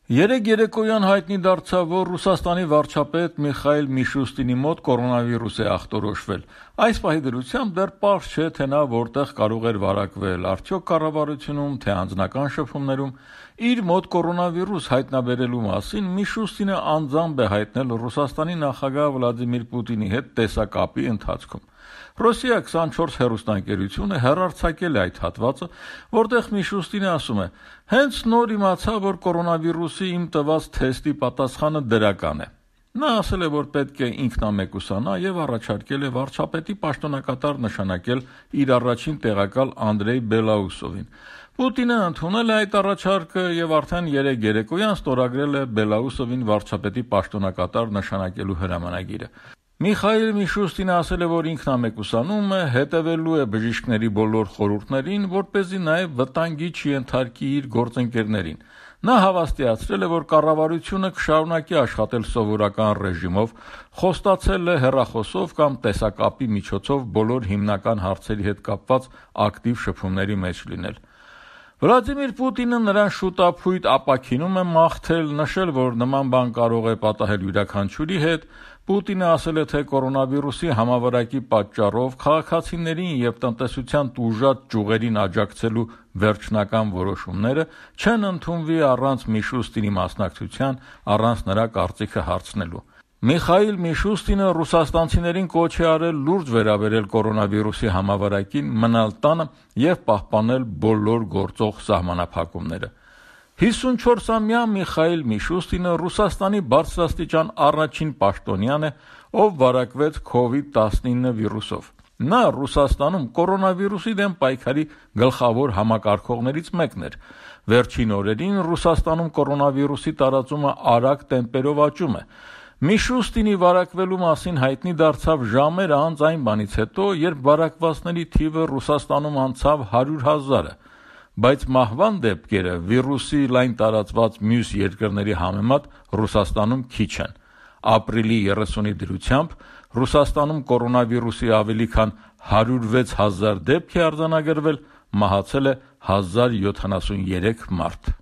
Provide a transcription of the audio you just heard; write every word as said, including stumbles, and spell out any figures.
Երեկ երեկոյան հայտնի դարձավ, որ Ռուսաստանի վարչապետ Միխայիլ Միշուստինի մոտ կորոնավիրուս է ախտորոշվել։ Այս պահի դրությամբ դեռ պարզ չէ, թե նա որտեղ կարող էր վարակվել, արդյոք կառավարությունում, թե անձնական շփումներում։ Իր մոտ կորոնավիրուս հայտնաբերելու մասին Միշուստինը անձամբ է հայտնել Ռուսաստանի նախագահ Վլադիմիր Պուտինի հետ տեսակապի ընթացքում։ Ռոսիա քսանչորս հեռուստաընկերությունը հեռարձակել է այդ հատվածը, որտեղ Միշուստինը ասում է. «Հենց նոր իմացա, որ կորոնավիրուսի իմ տված թեստի պատասխանը դրական է»։ Նա ասել է, որ պետք է ինքնամեկուսանա եւ առաջարկել է վարչապետի պաշտոնակատար նշանակել իր առաջին տեղակալ Անդրեյ Բելաուսովին։ Պուտինը ընդունել է այդ առաջարկը եւ արդեն երեկ երեկոյան ստորագրել է Բելաուսովին վարչապետի պաշտոնակատար նշանակելու հրամանագիրը։ Միխայիլ Միշուստինը ասել է, որ ինքնամեկուսանում է, հետևելու է բժիշկների բոլոր խորհուրդներին, որպեսզի նաև վտանգի չենթարկի իր գործընկերներին։ Նա հավաստիացրել է, որ կառավարությունը կշարունակի աշխատել սովորական ռեժիմով, խոստացել է հեռախոսով կամ տեսակապի միջոցով բոլոր հիմնական հարցերի հետ կապված ակտիվ շփումների մեջ լինել։ Վլադիմիր Պուտինը նրան շուտափույթ ապաքինում է մաղթել, նշել, որ նման բան կարող է պատահել յուրաքանչյուրի հետ։ Պուտինը ասել է, թե կորոնավիրուսի համավարակի պատճառով քաղաքացիներին եւ տնտեսության տուժած ճյուղերին աջակցելու վերջնական որոշումները չեն ընդունվի առանց Միշուստինի մասնակցության, առանց նրա կարծիքը հարցնելու։ Միխայիլ Միշուստինը ռուսաստանցիներին կոչ է արել լուրջ վերաբերել կորոնավիրուսի համավարակին, մնալ տանը եւ պահպանել բոլոր գործող սահմանափակումները։ հիսունչորսամյա Միխայիլ Միշուստինը Ռուսաստանի բարձրաստիճան առաջին պաշտոնյան է, ով վարակվեց քովիդ տասնինը վիրուսով։ Նա Ռուսաստանում կորոնավիրուսի դեմ պայքարի գլխավոր համակարգողներից մեկն էր։ Վերջին օրերին Ռուսաստանում կորոնավիրուսի տարածումը արագ տեմպերով աճում է։ Միշուստինի վարակվելու մասին հայտնի դարձավ ժամեր անց այն բանից հետո, երբ վարակվածների թիվը Ռուսաստանում անցավ հարյուր հազարը, բայց մահվան դեպքերը վիրուսի լայն տարածված մյուս երկրների համեմատ Ռուսաստանում քիչ են։ Ապրիլի երեսունի դրությամբ Ռուսաստանում կորոնավիրուսի ավելի քան հարյուր վեց հազար դեպք է արձանագրվել, մահացել է հազար յոթանասունյերեք մարդ։